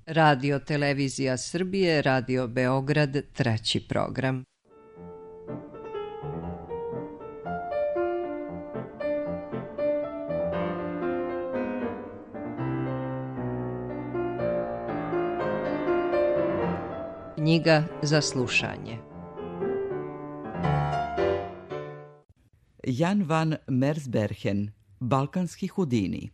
Radio Televizija Srbije, Radio Beograd, 3. program. Knjiga za slušanje. Jan van Mersbergen, Balkanski Hudini.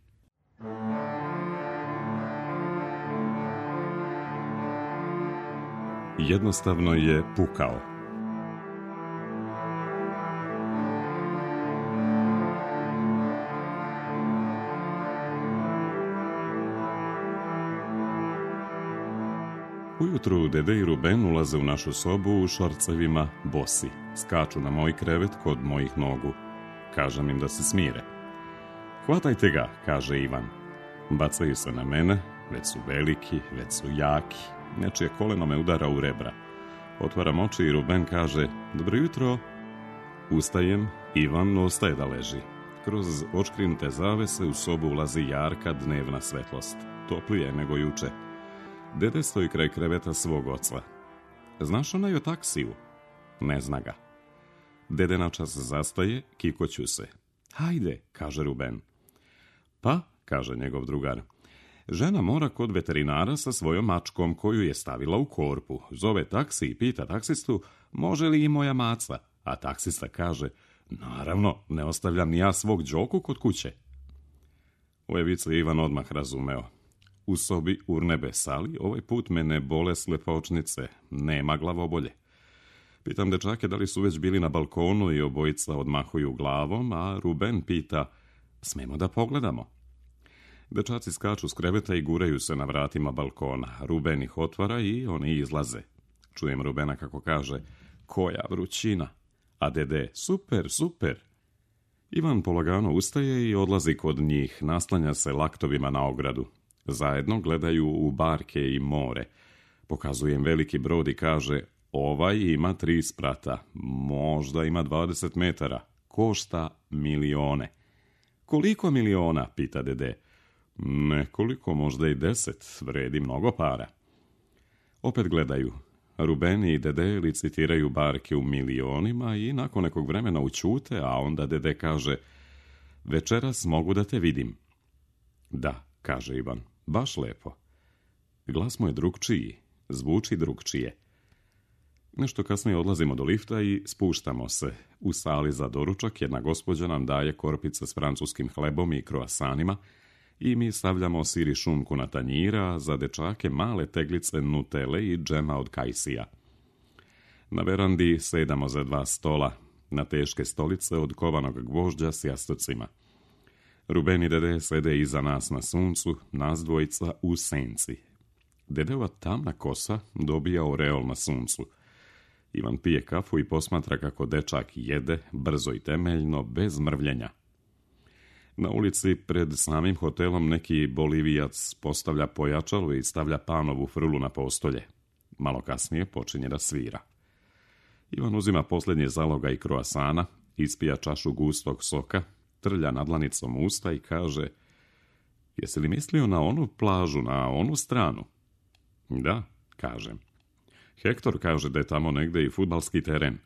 Jednostavno je pukao. Ujutru Dede i Ruben ulaze u našu sobu u šorcevima, bosi. Skaču na moj krevet kod mojih nogu. Kažem im da se smire. Hvatajte ga, kaže Ivan. Bacaju se na mene, već su veliki, već su jaki. Nečije koleno me udara u rebra. Otvaram oči i Ruben kaže, dobro jutro. Ustajem, Ivan ostaje da leži. Kroz očkrinute zavese u sobu ulazi jarka dnevna svetlost. Toplije nego juče. Dede stoji kraj kreveta svog oca. Znaš onaj o taksiju? Ne zna ga. Dede na čas zastaje, kikoću se. Hajde, kaže Ruben. Pa, kaže njegov drugar, žena mora kod veterinara sa svojom mačkom koju je stavila u korpu. Zove taksi i pita taksistu, može li i moja maca? A taksista kaže, naravno, ne ostavljam ni ja svog Đoku kod kuće. Ove vice Ivan odmah razumeo. U sobi urnebe sali, ovaj put me ne bole slepočnice, nema glavobolje. Pitam dečake da li su već bili na balkonu i obojica odmahuju glavom, a Ruben pita, smemo da pogledamo? Dečaci skaču s kreveta i guraju se na vratima balkona. Ruben ih otvara i oni izlaze. Čujem Rubena kako kaže, koja vrućina, a Dede, super, super. Ivan polagano ustaje i odlazi kod njih, naslanja se laktovima na ogradu. Zajedno gledaju u barke i more. Pokazujem veliki brod i kaže, ovaj ima 3 sprata, možda ima 20 metara, košta milione. Koliko miliona, pita Dede. Nekoliko, možda i 10, vredi mnogo para. Opet gledaju. Ruben i Dede licitiraju barke u milionima i nakon nekog vremena ućute, a onda Dede kaže, večeras mogu da te vidim. Da, kaže Ivan, baš lepo. Glas mu je drugčiji, zvuči drugčije. Nešto kasnije odlazimo do lifta i spuštamo se. U sali za doručak jedna gospođa nam daje korpice s francuskim hlebom i kroasanima i mi stavljamo sir i šunku na tanjira, za dečake male teglice nutele i džema od kajsija. Na verandi sedamo za 2 stola, na teške stolice od kovanog gvožđa s jastocima. Ruben i Dede sede iza nas na suncu, nas dvojica u senci. Dedeova tamna kosa dobija oreol na suncu. Ivan pije kafu i posmatra kako dečak jede, brzo i temeljno, bez mrvljenja. Na ulici pred samim hotelom neki Bolivijac postavlja pojačalo i stavlja panovu frulu na postolje. Malo kasnije počinje da svira. Ivan uzima posljednje zaloga i kroasana, ispija čašu gustog soka, trlja nadlanicom usta i kaže, jesi li mislio na onu plažu, na onu stranu? Da, kažem. Hektor kaže da je tamo negde i fudbalski teren.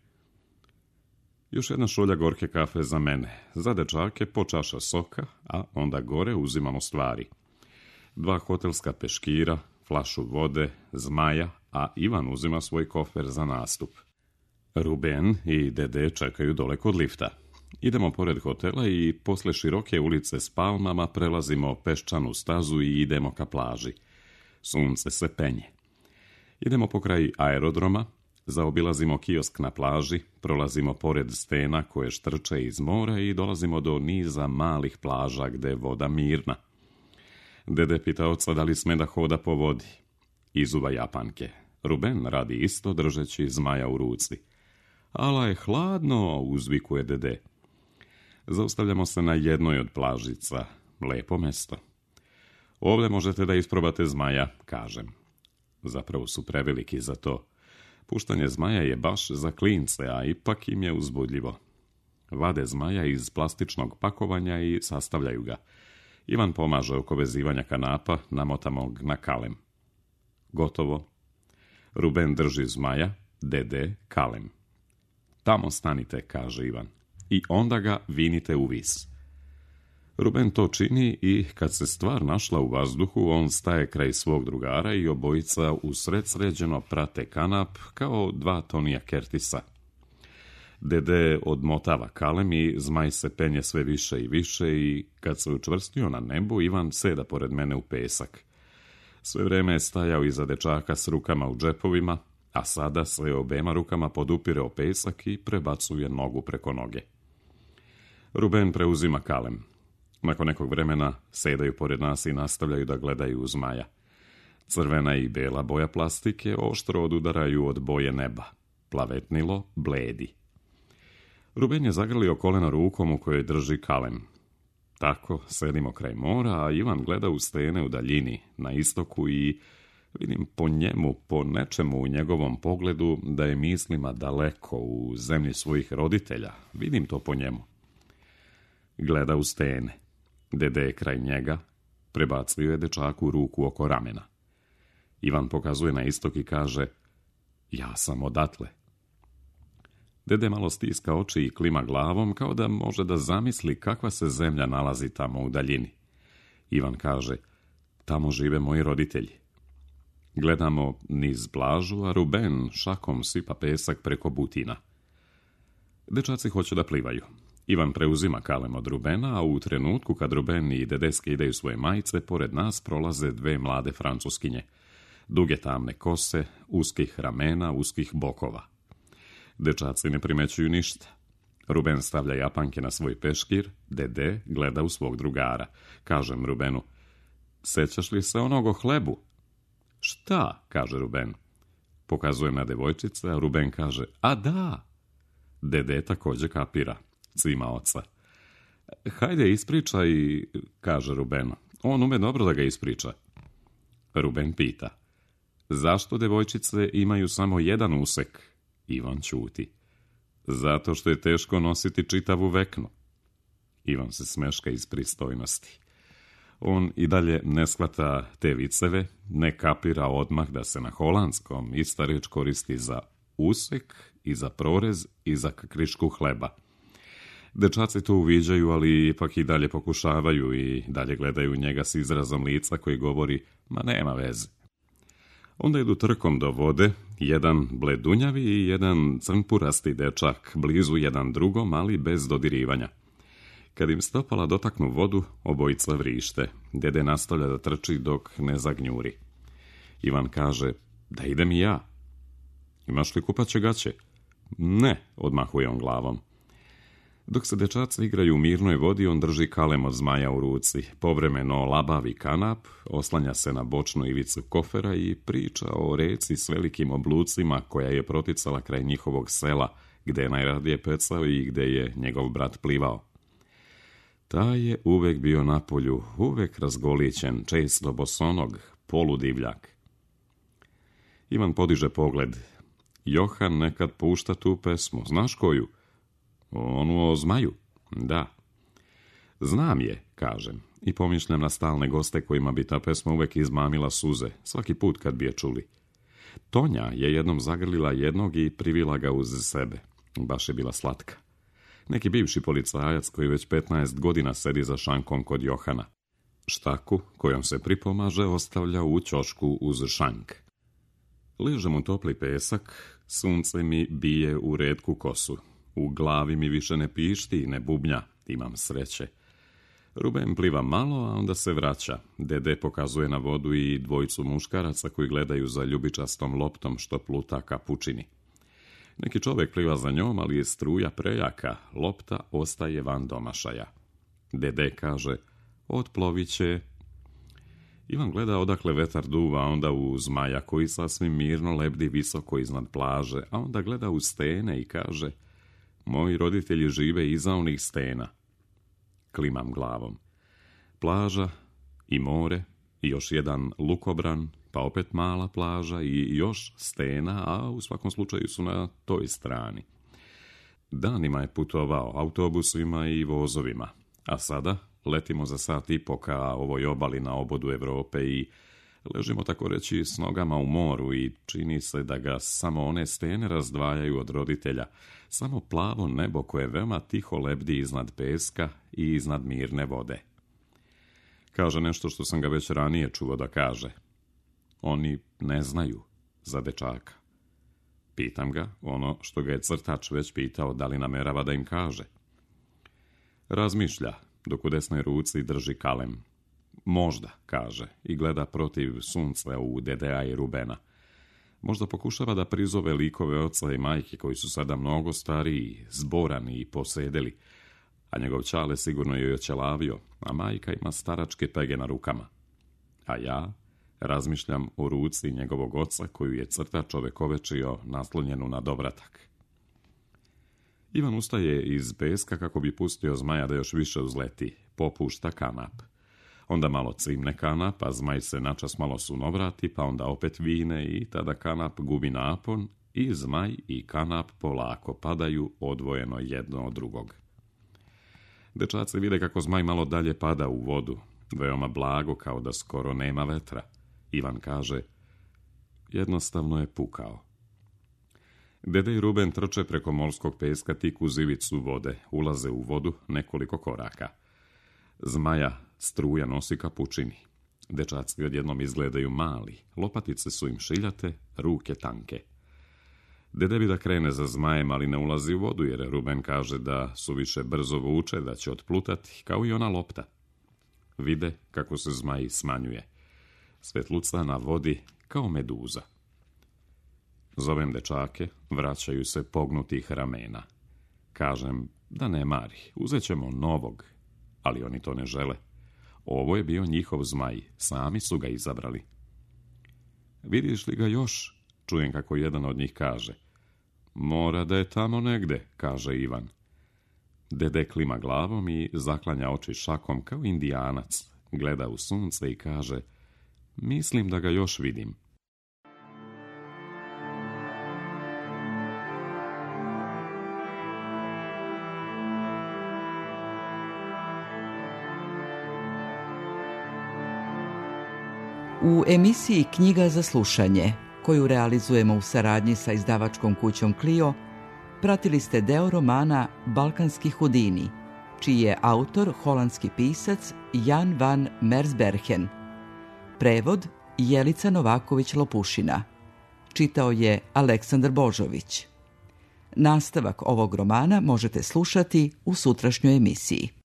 Još jedna šolja gorke kafe za mene, za dečake po čaša soka, a onda gore uzimamo stvari. 2 hotelska peškira, flašu vode, zmaja, a Ivan uzima svoj kofer za nastup. Ruben i Dede čekaju dole kod lifta. Idemo pored hotela i posle široke ulice s palmama prelazimo peščanu stazu i idemo ka plaži. Sunce se penje. Idemo pokraj aerodroma, zaobilazimo kiosk na plaži, prolazimo pored stena koje štrče iz mora i dolazimo do niza malih plaža gde je voda mirna. Dede pita oca da li sme da hoda po vodi. Izuva Japanke. Ruben radi isto držeći zmaja u ruci. Ala je hladno, uzvikuje Dede. Zaustavljamo se na jednoj od plažica. Lepo mesto. Ovdje možete da isprobate zmaja, kažem. Zapravo su preveliki za to. Puštanje zmaja je baš za klince, a ipak im je uzbudljivo. Vade zmaja iz plastičnog pakovanja i sastavljaju ga. Ivan pomaže oko vezivanja kanapa, namotamo ga na kalem. Gotovo. Ruben drži zmaja, Dede kalem. Tamo stanite, kaže Ivan, i onda ga vinite u vis. Ruben to čini i kad se stvar našla u vazduhu, on staje kraj svog drugara i obojica usred sređeno prate kanap kao dva Tonija Kertisa. Dede odmotava kalem i zmaj se penje sve više i više i kad se učvrstio na nebu, Ivan seda pored mene u pesak. Sve vreme je stajao iza dečaka s rukama u džepovima, a sada sve obema rukama podupire o pesak i prebacuje nogu preko noge. Ruben preuzima kalem. Nakon nekog vremena sedaju pored nas i nastavljaju da gledaju u zmaja. Crvena i bela boja plastike oštro odudaraju od boje neba. Plavetnilo bledi. Ruben je zagrlio kolena rukom u kojoj drži kalem. Tako sedimo kraj mora, a Ivan gleda u stene u daljini, na istoku i vidim po njemu, po nečemu u njegovom pogledu da je mislima daleko u zemlji svojih roditelja. Vidim to po njemu. Gleda u stene. Dede je kraj njega, prebacio je dečaku ruku oko ramena. Ivan pokazuje na istok i kaže, ja sam odatle. Dede malo stiska oči i klima glavom kao da može da zamisli kakva se zemlja nalazi tamo u daljini. Ivan kaže, tamo žive moji roditelji. Gledamo niz plažu, a Ruben šakom sipa pesak preko butina. Dečaci hoće da plivaju. Ivan preuzima kalem od Rubena, a u trenutku kad Ruben i Dede skidaju svoje majice, pored nas prolaze dve mlade Francuskinje. Duge tamne kose, uskih ramena, uskih bokova. Dečaci ne primećuju ništa. Ruben stavlja japanke na svoj peškir, Dede gleda u svog drugara. Kažem Rubenu, sećaš li se onog o hlebu? Šta, kaže Ruben. Pokazujem na devojčice, a Ruben kaže, a da. Dede također kapira. Cima oca. Hajde ispričaj, kaže Rubenu. On ume dobro da ga ispriča. Ruben pita. Zašto devojčice imaju samo jedan usek? Ivan ćuti. Zato što je teško nositi čitavu veknu. Ivan se smeška iz pristojnosti. On i dalje ne shvata te viceve, ne kapira odmah da se na holandskom ista reč koristi za usek i za prorez i za krišku hleba. Dečaci to uviđaju, ali ipak i dalje pokušavaju i dalje gledaju njega s izrazom lica koji govori, ma nema veze. Onda idu trkom do vode, jedan bledunjavi i jedan crnpurasti dečak, blizu jedan drugom, ali bez dodirivanja. Kad im stopala dotaknu vodu, obojica vrište. Dede nastavlja da trči dok ne zagnjuri. Ivan kaže, da idem i ja. Imaš li kupaće gaće? Ne, odmahuje on glavom. Dok se dečaci igraju u mirnoj vodi, on drži kalem od zmaja u ruci. Povremeno labavi kanap, oslanja se na bočnu ivicu kofera i priča o reci s velikim oblucima koja je proticala kraj njihovog sela, gde je najradije pecao i gde je njegov brat plivao. Taj je uvek bio na polju, uvek razgolićen, često bosonog, poludivljak. Ivan podiže pogled. Johan nekad pušta tu pesmu, znaš koju? Onu o zmaju? Da. Znam je, kažem, i pomišljam na stalne goste kojima bi ta pesma uvek izmamila suze, svaki put kad bi je čuli. Tonja je jednom zagrlila jednog i privila ga uz sebe. Baš je bila slatka. Neki bivši policajac koji već 15 godina sedi za šankom kod Johana. Štaku, kojom se pripomaže, ostavlja u ćošku uz šank. Ležem u topli pesak, sunce mi bije u retku kosu. U glavi mi više ne pišti i ne bubnja, imam sreće. Ruben pliva malo, a onda se vraća. Dede pokazuje na vodu i dvojicu muškaraca koji gledaju za ljubičastom loptom što pluta ka pučini. Neki čovjek pliva za njom, ali je struja prejaka, lopta ostaje van domašaja. Dede kaže, otplovit će. Ivan gleda odakle vetar duva, onda u zmaja koji sasvim mirno lebdi visoko iznad plaže, a onda gleda u stene i kaže, moji roditelji žive iza onih stena. Klimam glavom. Plaža i more i još jedan lukobran, pa opet mala plaža i još stena, a u svakom slučaju su na toj strani. Danima je putovao autobusima i vozovima, a sada letimo za sat i po ka ovoj obali na obodu Evrope i Ležimo tako reći s nogama u moru i čini se da ga samo one stene razdvajaju od roditelja, samo plavo nebo koje veoma tiho lebdi iznad peska i iznad mirne vode. Kaže nešto što sam ga već ranije čuo da kaže. Oni ne znaju za dečaka. Pitam ga ono što ga je crtač već pitao da li namerava da im kaže. Razmišlja, dok u desnoj ruci drži kalem. Možda, kaže, i gleda protiv sunca u Dedea i Rubena. Možda pokušava da prizove likove oca i majke koji su sada mnogo stariji, zborani i posedeli, a njegov ćale sigurno je oćelavio, a majka ima staračke pege na rukama. A ja razmišljam o ruci njegovog oca koju je crtač ovekovečio naslonjenu na dovratak. Ivan ustaje iz peska kako bi pustio zmaja da još više uzleti, popušta kanap. Onda malo cimne kanap, a zmaj se načas malo sunovrati, pa onda opet vine i tada kanap gubi napon i zmaj i kanap polako padaju odvojeno jedno od drugog. Dečaci vide kako zmaj malo dalje pada u vodu, veoma blago kao da skoro nema vetra. Ivan kaže, jednostavno je pukao. Dede i Ruben trče preko morskog peska tik uz ivicu vode, ulaze u vodu nekoliko koraka. Zmaja struja nosi ka pučini. Dečaci odjednom izgledaju mali, lopatice su im šiljate, ruke tanke. Dede bi da krene za zmajem, ali ne ulazi u vodu, jer Ruben kaže da su više brzo vuče, da će otplutati, kao i ona lopta. Vide kako se zmaj smanjuje. Svetluca na vodi kao meduza. Zovem dečake, vraćaju se pognutih ramena. Kažem da ne mari, uzet ćemo novog, ali oni to ne žele. Ovo je bio njihov zmaj, sami su ga izabrali. Vidiš li ga još? Čujem kako jedan od njih kaže. Mora da je tamo negde, kaže Ivan. Dede klima glavom i zaklanja oči šakom kao Indijanac. Gleda u sunce i kaže, mislim da ga još vidim. U emisiji Knjiga za slušanje, koju realizujemo u saradnji sa izdavačkom kućom Clio, pratili ste deo romana Balkanski hudini, čiji je autor holandski pisac Jan van Mersbergen. Prevod Jelica Novaković-Lopušina. Čitao je Aleksandar Božović. Nastavak ovog romana možete slušati u sutrašnjoj emisiji.